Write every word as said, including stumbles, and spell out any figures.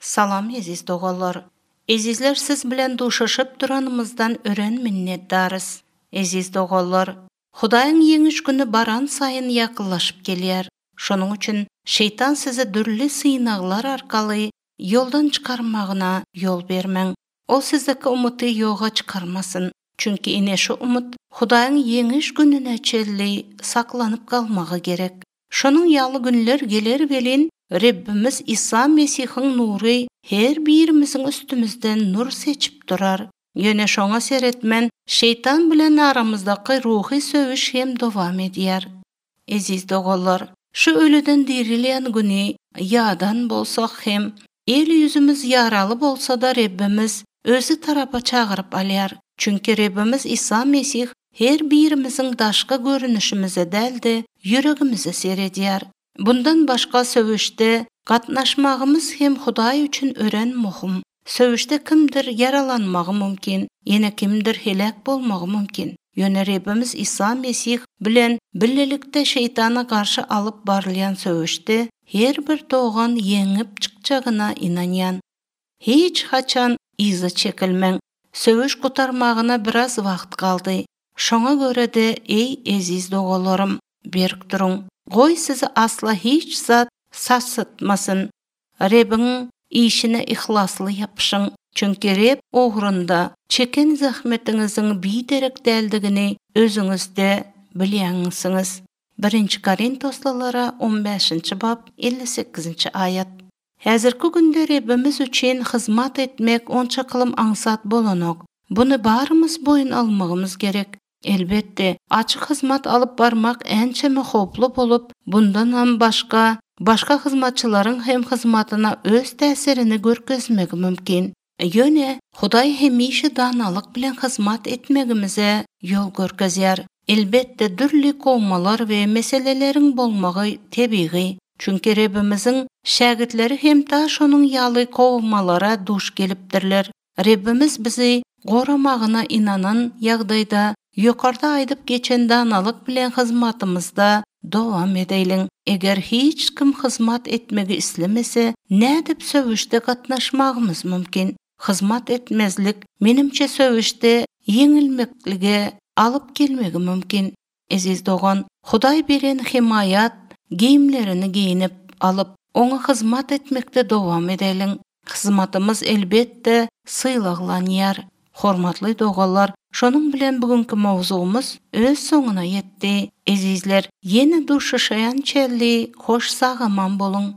Salam eziz doganlar. Ezizler siz bilen duşuşup duranymyzdan ören minnetdarys. Eziz doganlar, Hudaýyň ýeňiş güni baran saýyn ýakynlaşyp gelýär. Şonuň üçin şeytan sizi dürli synaglar arkaly ýoldan çykarmagyna ýol bermäň. Ol sizdeki umuty ýoga çykarmasyn. Çünki ine şu umut Hudaýyň ýeňiş gününe çenli saklanyp galmagy gerek. Şonuň ýaly günler geler welin Rebbimiz Isa Mesihiň nury her birimiziň üstümizden nur seçip durar. Ýöne şoňa seretmen şeytan bilen aramyzdaky ruhy söweş hem dowam edýär. Eziz doganlar, şu ölüden dirilýän güni ýadan bolsak hem el ýüzümiz ýaraly bolsa da Rebbimiz özi tarapa çagyryp alýar. Çünki Rebbimiz Isa Mesih her birimiziň daşky görünüşimize däl-de ýüregimize seredýär. Bundan başga söweşde gatnaşmagymyz hem Hudaý üçin ören muhim. Söweşde kimdir ýaralanmagy mümkin, ýene kimdir helak bolmagy mümkin. Ýöne Rebbimiz Isa Mesih bilen birlikde şeytana garşy alyp barylýan söweşde her bir dogan ýeňip çykjagyna inanýan. Hiç haçan yza çekilmäň. Söweş gutarmagyna biraz wagt galdy. Şoňa görä de ey eziz doganlarym, berk duruň. Goý sizi asla hiç zat sarsatmasyn. Rebbiň işine ihlasly ýapyşyň. Çünki Reb ugrunda çeken zahmetiňiziň biderek däldigini özüňizde bilýäňsiňiz. Birinji Korintoslylara on bäşinji bap elli sekizinji aýat. Häzirki günde Rebbimiz üçin hyzmat etmek onça kylym aňsat bolanok. Bunu barymyz boýun almagymyz gerek. Elbetde, açyk hyzmat alyp barmak ençeme howply bolup, bundan hem başga, başga hyzmatçylaryň hem hyzmatyna öz täsirini görkezmegi mümkin. Ýöne Hudaý hemişe danalyk bilen hyzmat etmegimize ýol görkezýär. Elbetde dürli kowmalar we meseleleriň bolmagy tebigy. Çünki Rebbimiziň şägirtleri hem ta şonuň ýaly kowmalara duş gelipdirler. Rebbimiz bizi goramagyna inanan ýagdaýda ýokarda aýdyp geçen danalyk bilen hyzmatymyzda dowam edeýliň. Eger hiç kim hyzmat etmegi islemese, nädip söweşde gatnaşmagymyz mümkin? Hyzmat etmezlik menimçe söweşde ýeňilmeklige alyp gelmegi mümkin. Eziz dogan, Hudaý beren himaýat geýimlerini geýinip alyp, oňa hyzmat etmekde dowam edeliň. Hyzmatymyz elbetde sylaglanýar. Hormatly doganlar, şonuň bilen bugünkü mowzugymyz öz soňuna ýetdi. Ezizler, ýene duşuşaýan çelli hoş sag aman boluň.